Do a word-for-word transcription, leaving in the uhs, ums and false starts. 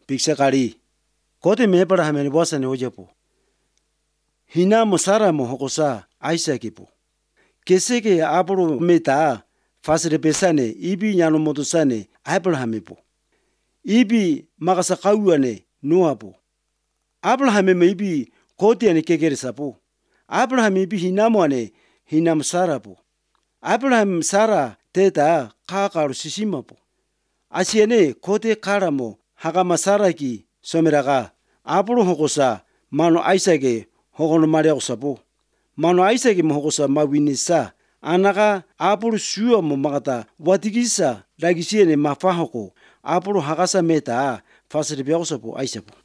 Biksa kali. Kote me Abraham ni bosa ni ojapo. Hina mo Sara mo hokosa Isaac po. Kese ke Apolo meta fasire pesane ibi nyano motusane Abraham po. Ibi makasa kauane Noah po. Abraham me ibi kote ane kekere sapo. Abraham ibi hinamo ane hinam Sara po. Abraham Sara teta kakaru sisima po. Asiane kote karamo hakama Sara ki someraga Apolo hokosa mano Isaac hokono maria sapo. Mano Isaac mo hokosa mawinisa anaka Apolo suwa mo makata watigisa lagisiene mafahoko Apolo hakasa meta fasire biago sapo Isaac po.